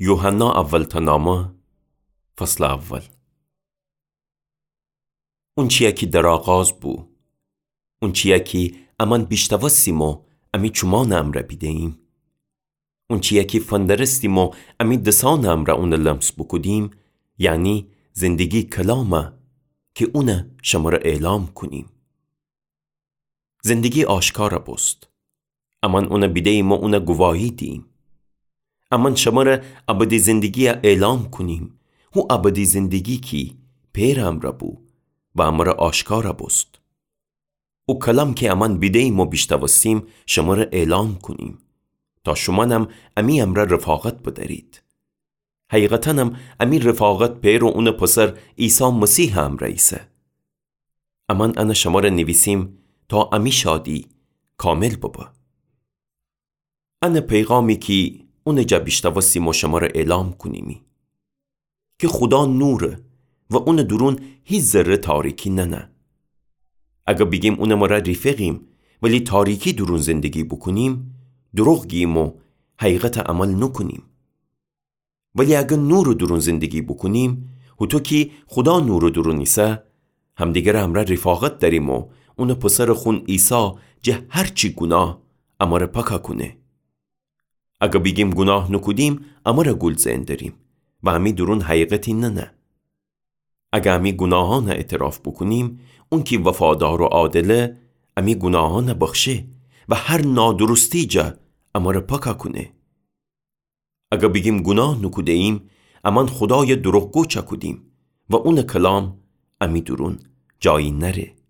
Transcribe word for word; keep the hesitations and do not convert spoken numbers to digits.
یوحنا اولتأ نامه، فصلٚ اول. اونچیی کی در آغاز بو، اونچیی کی امأن بیشتاوستیم و امی چومأنٚ امرأ بیدهییم، اونچیی کی فندرستیم و امی دسأنٚ امرأ اونَ لمس بوکودیم، یعنی زندگی کلامَ کی اونَ شمره اعلام کونیم. زندگی آشکارَ بوست. امأن اونَ بیدهییم و اونَ گواهی دیییم. امأن شمره ابدی زندگیَ اعلام کونیم، هو ابدی زندگی کی پئرٚ امرأ بو و امره آشکارَ بوست. او کلام کی امأن بیدهییم و بیشتاوستیم شمره اعلام کونیم، تا شومأنم امی امرأ رفاقت بدأرید. حقیقتأنم امی رفاقت پئر و اونٚ پسر عیسی مسیحٚ امرأ ایسه. امأن انَ شمره نیویسیم تا امی شادی کامل ببه. انَ پیغامی کی اونٚ جا بیشتاوستیم و شمره اعلام کونیمی کی خودا نوره و اونٚ دورون هیچ ذره تاریکی ننه. اگر بیگیم اونٚ مره ریفقیم ولی تاریکی دورون زندگی بوکونیم، دروغ گییم و حقیقتَ عمل نوکونیم. ولی اگر نورٚ دورون زندگی بوکونیم، هوطو کی خودا نورٚ دورون ایسه، همدیگرٚ امرأ رفاقت دأریم و اونٚ پسرٚ خون عیسی جٚه هر چی گوناه امره پاکَ کونه. اگر بیگیم گوناه نوکودیم، امره گول زئن دأریم و امی دورون حقیقتی ننه. اگر امی گوناهأنَ اعتراف بوکونیم، اون کی وفادار و عادله، امی گوناهأنَ بخشه و هر نادرستی جا امره پاکَ کونه. اگر بیگیم گوناه نوکودهییم، امأن خودایَ دروغگو چأکودیم و اونٚ کلام امی دورون جایی نأره.